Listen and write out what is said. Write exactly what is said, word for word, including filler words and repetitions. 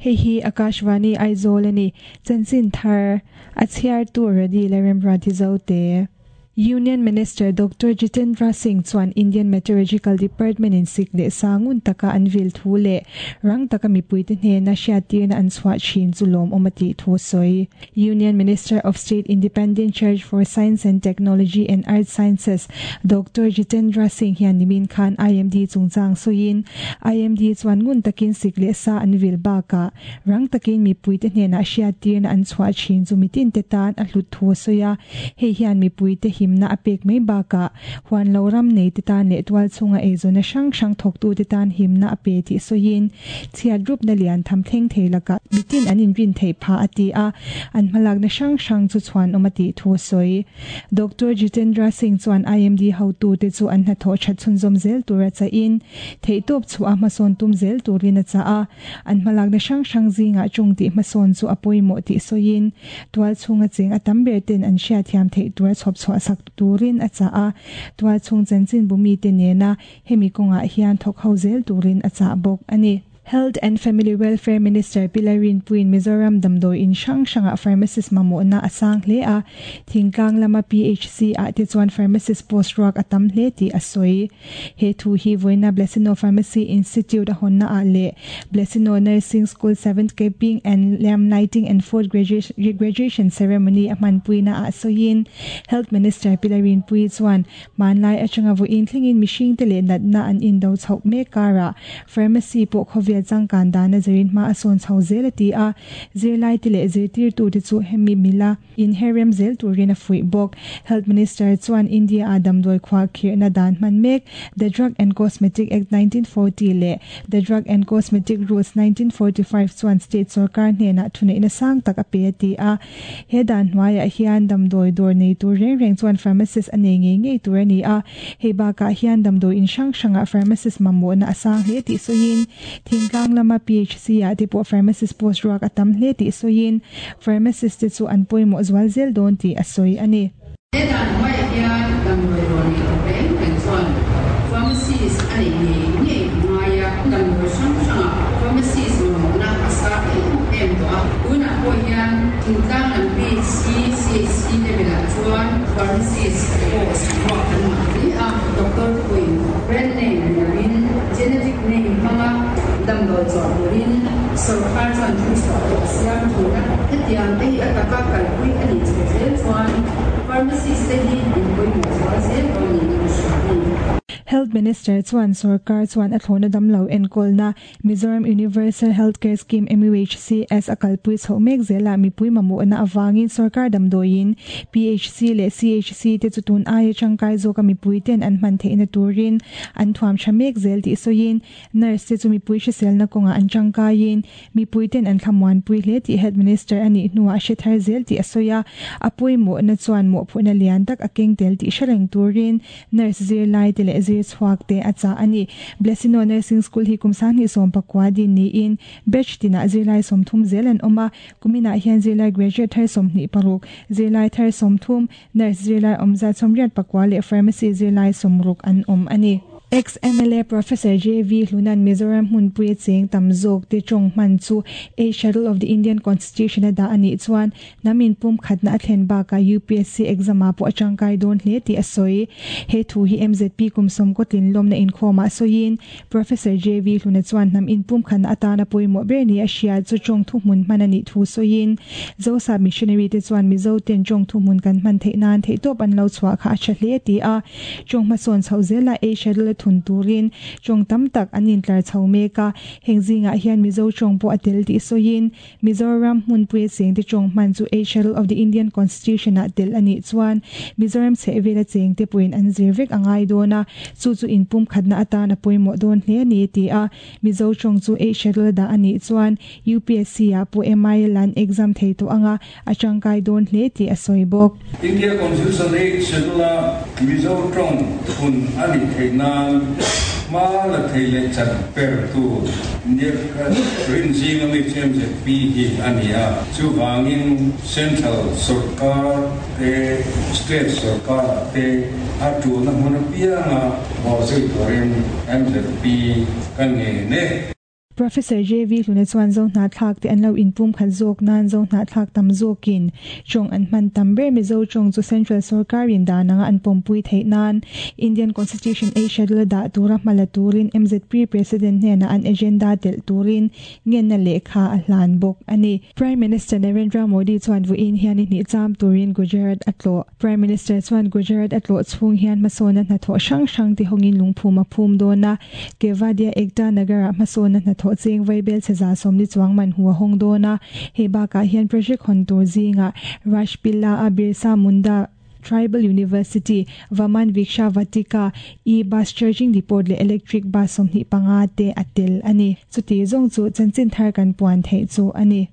Hei hi Akashvani Aizawl ani. Chanchin thar a chhiar tu Radi Leremrati Zote. Union Minister Doctor Jitendra Singh chuan Indian Meteorological Department in sik leh sangun taka an vil thu leh rang taka mipuite hnena hriattirna an chhuah thin chu lawm awm a tih thu sawi. Union Minister of State Independent Charge for Science and Technology and Earth Sciences Doctor Jitendra Singh hian nimin khan I M D chungchang sawiin I M D chuan ngun takin sik leh sa an vil baka rang takin mipuite hnena hriattirna an chhuah thin chu mitin te tan a hlut thu sawi a. Hei hian mipuite hi na apek mai baka huan lo ram nei te tan le tual chunga eizona hrang hrang thawk tu te tan himna ape ti soin chhiat rup na lian tham thleng thei laka mitin an in rin thei pha ati a an hmalak na hrang hrang chu chuan awm ati thu soi. Doctor Jitendra Singh chuan I M D ho tu te chu an hna thaw that chhun zawm zel tura cha in thei tawp chu a hmasawn tum zel turin a cha a an hmalak na hrang hrang zinga chung ti hmasawn chu a pawimawh ti soin tual chunga cheng a tam ber ten an hriat thiam thei tura chhawp chhuah sak turin a cha a tual chung chanchin bumi te nena hemi kawnga hian thawk ho zel turin a cha bawk ani. Health and Family Welfare Minister Pilarin Puin Mizoram Damdoi in Shang Shanga pharmacist mamona asang hle a thingkang lama P H C a te chuan pharmacist post rock atam hle ti asoi. He thu hi voina Blessino Pharmacy Institute a honna a le Blessino Nursing School seventh Keeping and Lamp Lighting and fourth graduation, graduation ceremony a man puina a soin. Health Minister Pilarin Pui chuan manlai atanga vo in thlingin mihring te le natna an in do chhok me kara pharmacy po khovia changkan dana zerin ma ason chho zel ti a zirlai ti le zirtir tu ti chu hemi mila in herem zel turin a fui bok. Health Minister chuan India adam doi khwa khir na dan man mek the Drug and Cosmetic Act nineteen forty le the Drug and Cosmetic Rules nineteen forty-five chuan state sarkar hne na thune ina sang tak a pe ti a he dan hnuaiah hian damdoi dawr nei tur reng reng chuan pharmacist a nei ngei ngei tur ani a hei bakah hian damdoi in hrang hrangah pharmacist mamawh na a sang hle tih sawiin thingtlang lama P H C ah te pawh pharmacist post ruak a tam hle tih sawiin pharmacist te chu an pawimawh zual zel dawn tih a sawi ani. He dan hnuaiah hian damdoi dawr nei tur reng reng chuan pharmacist a nei ngei ngei ngaia damdoi hrang hrangah pharmacist mamawh na a sang em em tawh a tunah pawh hian thingtlang lam P H C C H C level ah chuan pharmacist post ruak an ngah hle a doctor te pawhin brand name ni lovin genetic name hmanga damdoi chawh turin sarkar chuan thu chhuah pawh a siam thin a hetiang te hi a taka kalpui a nih chho zel chuan pharmacist te hi in pawimawh zual zel dawn niin a hria a ni. Health Minister chuan sarkar chuan a thlawna damlo enkawlna Mizoram Universal Healthcare Scheme M U H C S a kalpui chho mek zela mipui mamawhna awangin sarkar damdawiin P H C leh C H C te chu tun aia tangkai zawka mipui ten an hman theihna turin an thuam tha mek zel tih sawiin nurse te chu mipui hriselna kawnga an tangkaiin mipui ten an thlamuan pui hle tih Health Minister anih hnuah hre thar zel tih a sawi a a pawimawhna chuan mawhphurhna lian tak a keng tel tih hre reng turin nurse zirlai te leh zir chhuak te a cha ani. Blessino Nursing School hi kum sanghnih sawm pakua din niin batch tinah zirlai sawmthum zel an awm a kuminah hian zirlai graduate thar sawmhnih paruk zirlai thar sawmthum nurse zirlai awmzat sawmriat pakua leh pharmacy zirlai sawmruk an awm ani. Ex-M L A Professor J V Hlunan Mizoram hmunpui cheng tam zawk te tawng hman chu A Schedule of the Indian Constitution a dah anih chuan namin pum khatna a thlen bakah U P S C exam ah pawh a tangkai dawn hle tih a sawi. He thu hi M Z P kum sawm kawtlin lawmna inkhawmah sawiin Professor J V Hluna chuan hnam in pum khatna atana pawimawh ber ni a hria chu tawng thu hmun hman anih thu sawiin Zosa missionary te chuan Mizo ten tawng thu hmun kan hman theih nan theih tawp an lo chhuah kha a tha hle ti a tawng hmasawn chho zela A Schedule thun turin tawng tam tak an intlar chho mek a heng zingah hian Mizo tawng pawh a tel tih sawiin Mizoram hmunpui cheng te tawng hman chu A Schedule of the Indian Constitution ah tel anih chuan Mizoram chhehvela cheng te pawhin an zir vek angai dawn a chu chu inpum khatna atan a pawimawh dawn hle ani ti a Mizo tawng chu A Schedule dah anih chuan U P S C ah pawh M I L an exam thei tawh anga a tangkai dawn hle tih a sawi bawk. India Constitution A Schedule a Mizo tawng thun ani thei nan ma la thei le chan per tu India rin zing ami chem Z P hi ani a chu wangin central sarkar te state sarkar te a tu na hmun pianga bo zui turin M Z P kan nge ne. Professor J V Hluna chuan zo hna thlak te an lo inpum khat zawk nan zo hna thlak tam zawkin chong an hman tam ber Mizo chong chu Central Sarkarin dananga an pawmpui theih nan Indian Constitution A Schedule da tura hmala turin M Z P President hnena an agenda tel turin ngen na lekha a hlan bawk ani. Prime Minister Narendra Modi chuan vuin hian ni cham turin Gujarat atlo. Prime Minister chuan Gujarat atlo chung hian masona na tho sang sang ti hongin lungphuma phum dona Kevadia Ekta Nagara masona na tho cheng vaibel cheza somli chuang man huwa hong dona he ba ka hian project hon tur zinga Rashpila a Birsa Munda Tribal University Vaman Viksha Vatika e bus charging depot le electric bus somni panga te atel ani chuti zong chu chanchin thar kan puan thei chu ani.